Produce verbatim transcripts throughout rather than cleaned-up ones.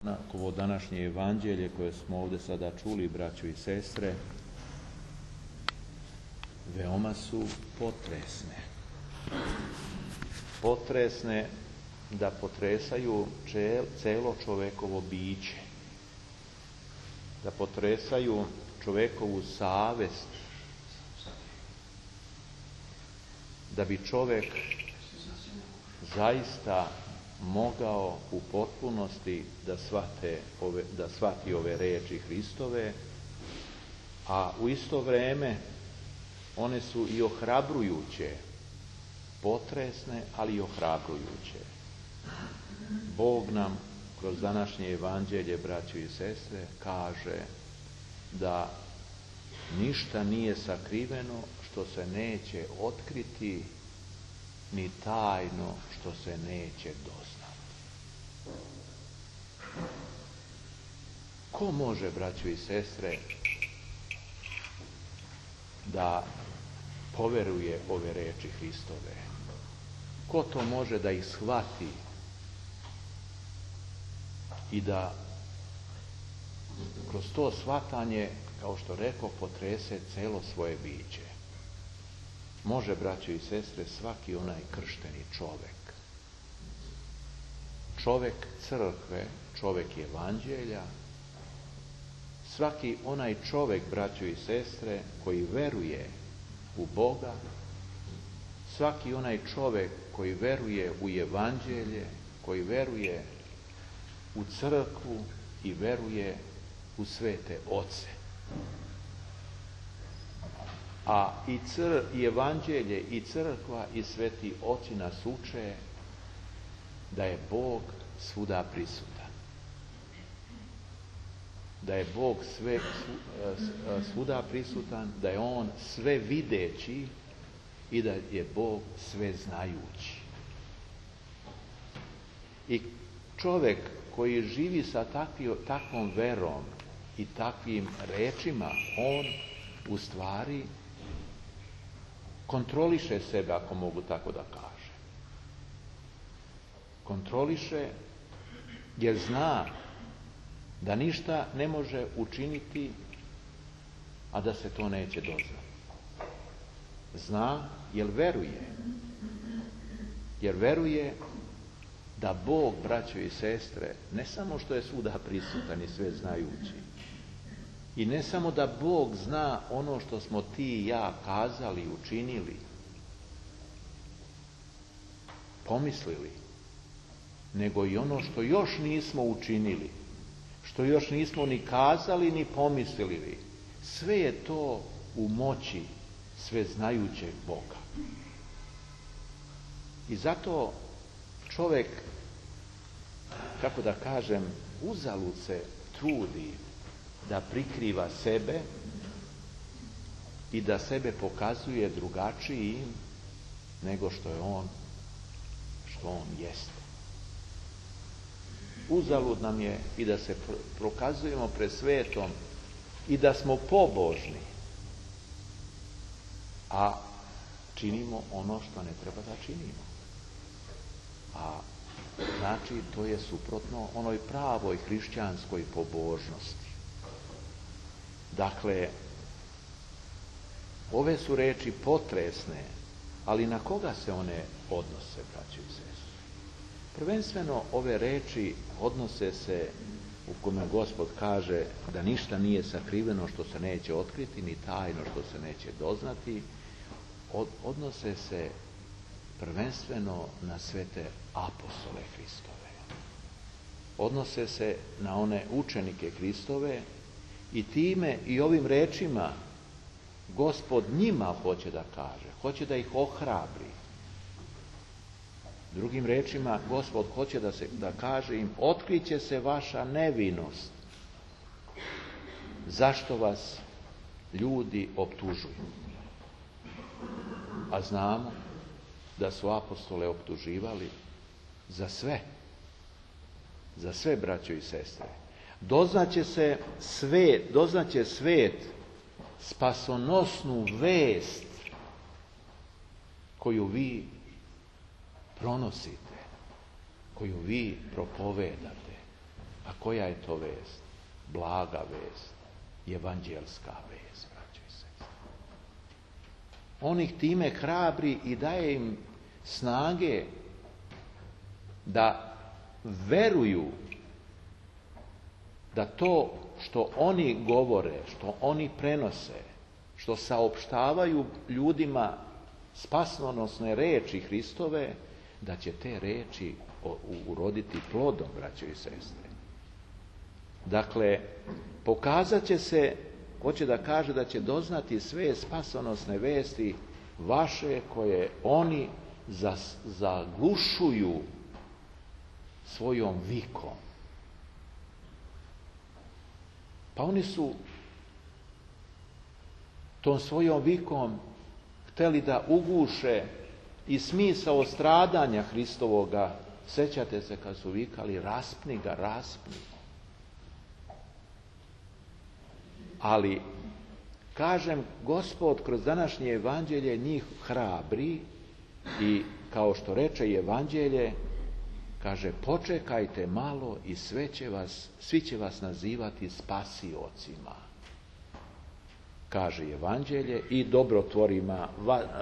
Na ovo današnje evanđelje koje smo ovdje sada čuli, braćo i sestre, veoma su potresne. Potresne da potresaju celo čovekovo biće, da potresaju čovekovu savest, da bi čovek zaista mogao u potpunosti da shvate ove, da shvati ove reči Hristove, a u isto vreme one su i ohrabrujuće, potresne, ali i ohrabrujuće. Bog nam kroz današnje evanđelje, braćo i sestre, kaže da ništa nije sakriveno što se neće otkriti, ni tajno što se neće doznati. Ko može, braćo i sestre, da poveruje ove reči Hristove? Ko to može da ih shvati i da kroz to shvatanje, kao što rekao, potrese celo svoje biće? Može, braćo i sestre, svaki onaj kršteni čovek. Čovek crkve, čovek evanđelja, svaki onaj čovek, braćo i sestre, koji veruje u Boga, svaki onaj čovek koji veruje u evanđelje, koji veruje u crkvu i veruje u svete oce. A i, cr, i evanđelje, i crkva, i sveti oci nas uče da je Bog svuda prisutan. Da je Bog sve, svuda prisutan, da je On sve videći i da je Bog sve znajući. I čovjek koji živi sa takvi, takvom verom i takvim rečima, on u stvari kontroliše sebe, ako mogu tako da kaže. Kontroliše jer zna da ništa ne može učiniti, a da se to neće doznati. Zna jer veruje. Jer veruje da Bog, braćo i sestre, ne samo što je svuda prisutan i sve znajući, i ne samo da Bog zna ono što smo ti i ja kazali, učinili, pomislili, nego i ono što još nismo učinili, što još nismo ni kazali ni pomislili. Sve je to u moći sveznajućeg Boga. I zato čovjek, kako da kažem, uzalud se trudi da prikriva sebe i da sebe pokazuje drugačijim nego što je on, što on jeste. Uzalud nam je i da se prokazujemo pred svetom i da smo pobožni, a činimo ono što ne treba da činimo. A znači to je suprotno onoj pravoj hrišćanskoj pobožnosti. Dakle, ove su reči potresne, ali na koga se one odnose, braćo i sestre? Prvenstveno ove reči odnose se, u kome Gospod kaže da ništa nije sakriveno što se neće otkriti, ni tajno što se neće doznati, od, odnose se prvenstveno na svete apostole Hristove. Odnose se na one učenike Hristove i time i ovim rečima Gospod njima hoće da kaže, hoće da ih ohrabri. Drugim rečima, Gospod hoće da, se, da kaže im, otkriće se vaša nevinost. Zašto vas ljudi optužuju? A znamo da su apostole optuživali za sve. Za sve, braćo i sestre. Doznaće se svet, doznaće svet spasonosnu vest koju vi pronosite, koju vi propovedate. A koja je to vest? Blaga vest, evanđelska vest, braćo i sestre. On ih time hrabri i daje im snage da veruju da to što oni govore, što oni prenose, što saopštavaju ljudima spasonosne reči Hristove, da će te reči uroditi plodom, braćo i sestre. Dakle, pokazat će se, hoće da kaže da će doznati sve spasonosne vesti vaše koje oni zaglušuju svojom vikom. Pa oni su tom svojom vikom htjeli da uguše i smisao stradanja Hristovoga. Sjećate se kad su vikali raspni ga, raspni. Ali, kažem, Gospod kroz današnje evanđelje njih hrabri i kao što reče evanđelje, kaže, počekajte malo i sve će vas, svi će vas nazivati spasiocima. Kaže evanđelje i dobrotvorima,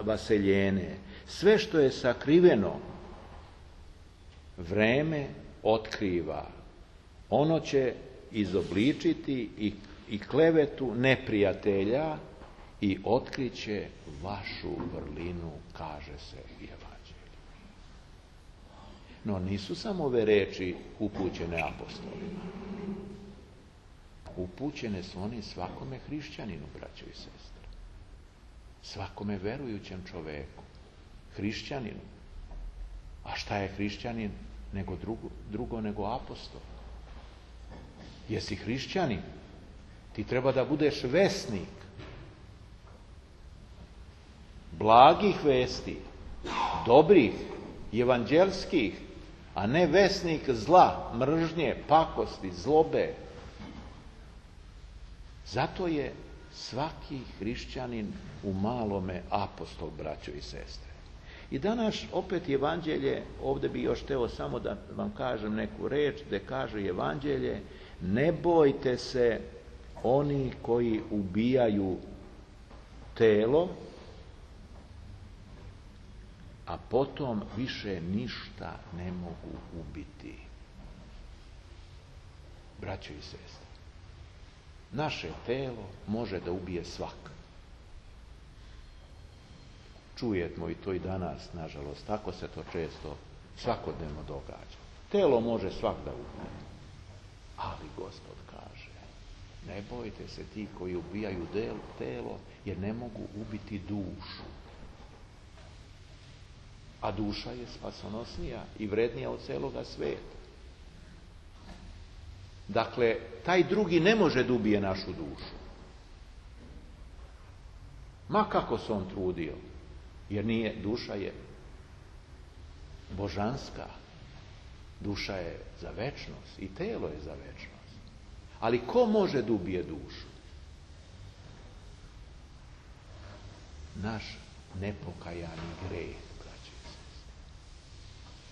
vaseljene. Sve što je sakriveno, vreme otkriva. Ono će izobličiti i, i klevetu neprijatelja i otkriće vašu vrlinu, kaže se u evanđelju. No nisu samo ove reči upućene apostolima. Upućene su oni svakome hrišćaninu, braćo i sestre. Svakome verujućem čoveku. Hrišćaninu. A šta je hrišćanin nego drugo, drugo nego apostol? Jesi hrišćanin? Ti treba da budeš vesnik blagih vesti, dobrih, evanđelskih, a ne vesnik zla, mržnje, pakosti, zlobe. Zato je svaki hrišćanin u malome apostol, braćo i sestre. I danas opet evanđelje, ovdje bi još hteo samo da vam kažem neku reč, da kaže evanđelje, ne bojte se oni koji ubijaju telo, a potom više ništa ne mogu ubiti. Braćo i sestre, naše telo može da ubije svak. Čujemo i to i danas, nažalost, tako se to često svakodnevno događa. Telo može svak da ubije. Ali Gospod kaže, ne bojte se ti koji ubijaju telo, jer ne mogu ubiti dušu. A duša je spasonosnija i vrednija od celoga sveta. Dakle, taj drugi ne može da ubije našu dušu. Ma kako se on trudio, jer nije, duša je božanska. Duša je za večnost i telo je za večnost. Ali ko može da ubije dušu? Naš nepokajani greh.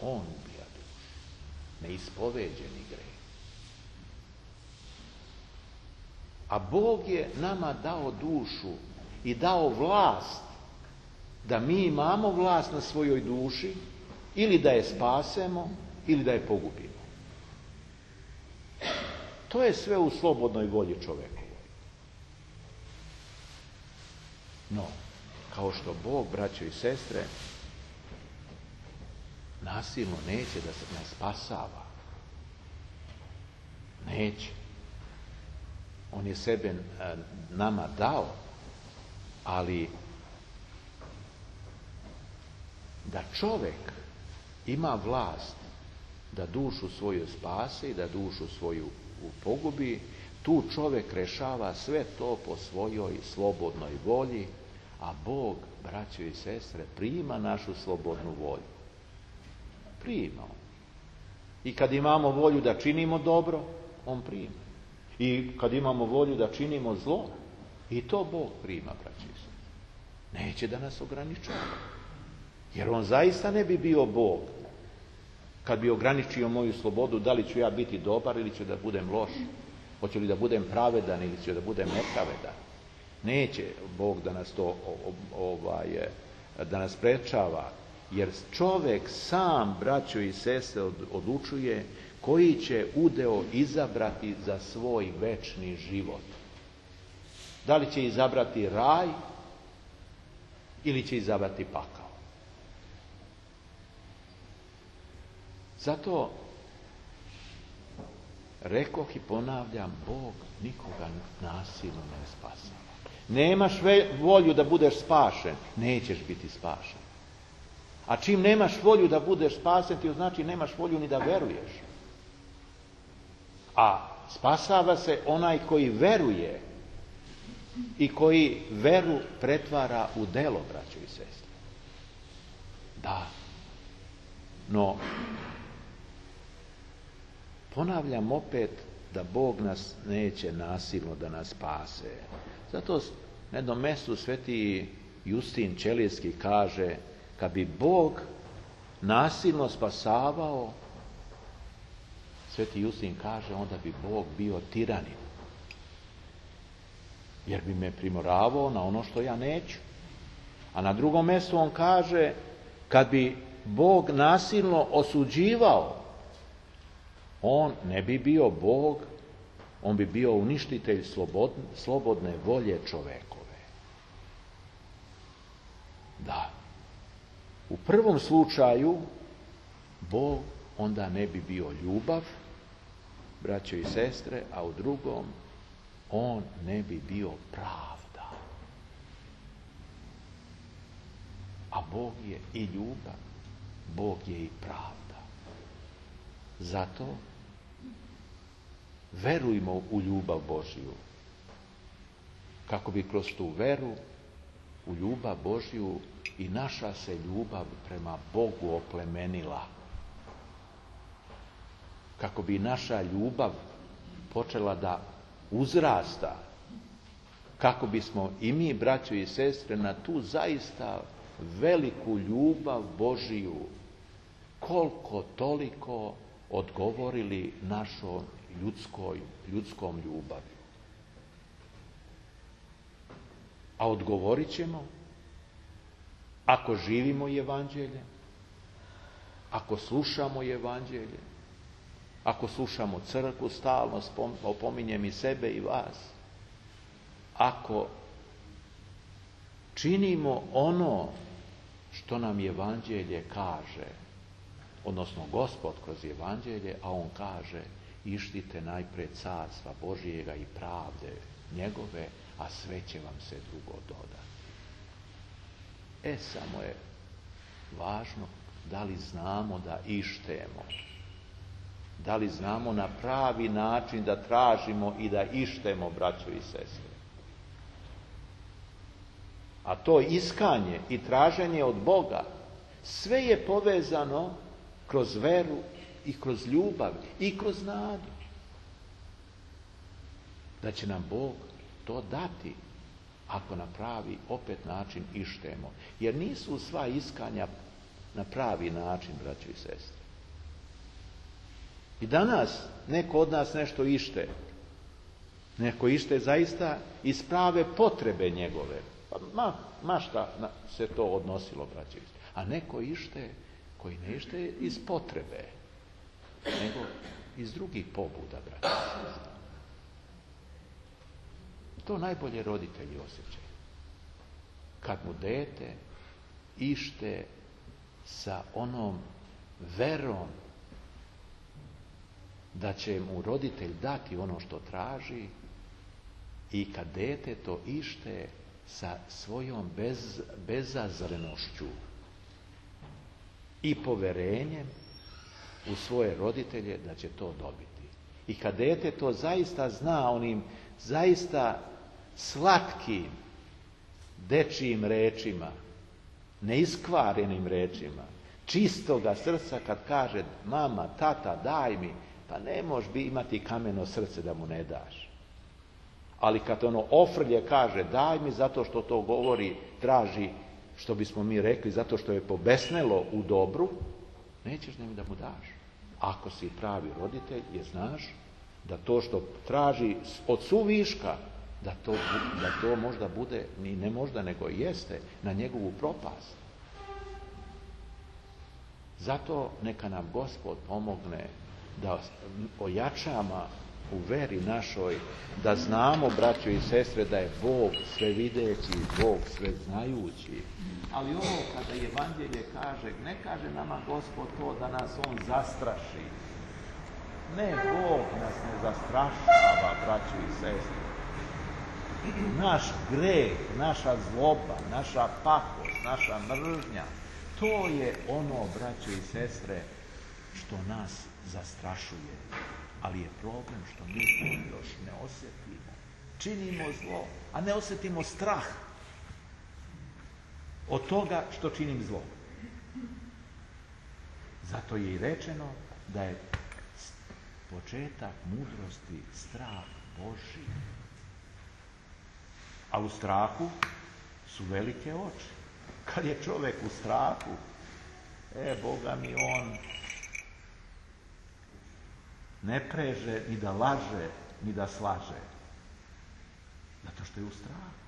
On ubija dušu. Neispoveđeni greh. A Bog je nama dao dušu i dao vlast da mi imamo vlast na svojoj duši ili da je spasemo ili da je pogubimo. To je sve u slobodnoj volji čovekovoj. No, kao što Bog, braćo i sestre, nasilno neće da se nas spasava. Neće. On je sebe nama dao, ali da čovjek ima vlast da dušu svoju spase i da dušu svoju pogubi, tu čovjek rešava sve to po svojoj slobodnoj volji, a Bog, braćo i sestre, prima našu slobodnu volju. Prima. I kad imamo volju da činimo dobro, on prima. I kad imamo volju da činimo zlo, i to Bog prima, braći i sestre. Neće da nas ograničava. Jer on zaista ne bi bio Bog kad bi ograničio moju slobodu, da li ću ja biti dobar ili ću da budem loš, hoću li da budem pravedan ili ću da budem nepravedan. Neće Bog da nas to ovaj, da nas sprečava, jer čovjek sam, braćo i sestre, odlučuje koji će udeo izabrati za svoj večni život. Da li će izabrati raj ili će izabrati pakao. Zato rekoh i ponavljam, Bog nikoga nasilno ne spasava. Nemaš volju da budeš spašen, nećeš biti spašen. A čim nemaš volju da budeš spasen, ti znači nemaš volju ni da veruješ. A spasava se onaj koji veruje i koji veru pretvara u delo, braćo i sestre. Da. No, ponavljam opet da Bog nas neće nasilno da nas spase. Zato na jednom mjestu sveti Justin Ćelijski kaže, kad bi Bog nasilno spasavao, sveti Justin kaže, onda bi Bog bio tiranin. Jer bi me primoravao na ono što ja neću. A na drugom mjestu on kaže, kad bi Bog nasilno osuđivao, on ne bi bio Bog, on bi bio uništitelj slobodne, slobodne volje čovekove. Da. U prvom slučaju Bog onda ne bi bio ljubav, braćo i sestre, a u drugom on ne bi bio pravda. A Bog je i ljubav, Bog je i pravda. Zato verujmo u ljubav Božju, kako bi kroz tu veru u ljubav Božju i naša se ljubav prema Bogu oplemenila. Kako bi naša ljubav počela da uzrasta, kako bismo i mi, braćo i sestre, na tu zaista veliku ljubav Božiju koliko toliko odgovorili našoj ljudskoj, ljudskom ljubavi. A odgovorit ćemo ako živimo evanđelje, ako slušamo evanđelje, ako slušamo crkvu stalno, opominjem i sebe i vas, ako činimo ono što nam evanđelje kaže, odnosno Gospod kroz evanđelje, a on kaže, ištite najpre carstva Božijega i pravde njegove, a sve će vam se drugo dodati. E, samo je važno da li znamo da ištemo. Da li znamo na pravi način da tražimo i da ištemo, braćo i sestre. A to iskanje i traženje od Boga, sve je povezano kroz veru i kroz ljubav i kroz nadu. Da će nam Bog to dati ako na pravi opet način ištemo. Jer nisu sva iskanja na pravi način, braćo i sestre. I danas neko od nas nešto ište. Neko ište zaista iz prave potrebe njegove. Pa ma, ma šta se to odnosilo, braćo i sestre. A neko ište koji ne ište iz potrebe, nego iz drugih pobuda, braćo i sestre. To najbolje roditelji osjećaju. Kad mu dete ište sa onom verom da će mu roditelj dati ono što traži i kad dete to ište sa svojom bez, bezazlenošću i poverenjem u svoje roditelje da će to dobiti. I kad dete to zaista zna onim zaista slatkim dečijim rečima, neiskvarenim rečima, čistoga srca kad kaže mama, tata, daj mi, pa ne možeš bi imati kameno srce da mu ne daš. Ali kad ono ofrlje kaže daj mi zato što to govori, traži, što bismo mi rekli, zato što je pobesnelo u dobru, nećeš njemu da mu daš. Ako si pravi roditelj, je znaš da to što traži od suviška, da to, da to možda bude, ni ne možda, nego jeste, na njegovu propast. Zato neka nam Gospod pomogne da ojačamo u veri našoj, da znamo, braćo i sestre, da je Bog svevideći, Bog sveznajući. Ali ovo kada Evanđelje kaže, ne kaže nama Gospod to da nas On zastraši. Ne, Bog nas ne zastrašava, braćo i sestre. Naš greh, naša zloba, naša pakost, naša mržnja, to je ono, braćo i sestre, što nas zastrašuje. Ali je problem što mi to još ne osjetimo. Činimo zlo, a ne osjetimo strah od toga što činim zlo. Zato je i rečeno da je početak mudrosti strah Božji. A u strahu su velike oči. Kad je čovjek u strahu, e, Boga mi, on ne preže ni da laže, ni da slaže. Zato što je u strahu.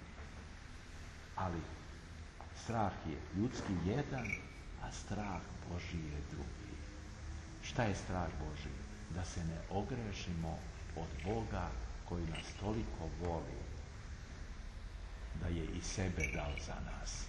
Ali strah je ljudski jedan, a strah Božji je drugi. Šta je strah Božji? Da se ne ogrešimo od Boga koji nas toliko voli, da je i sebe dao za nas.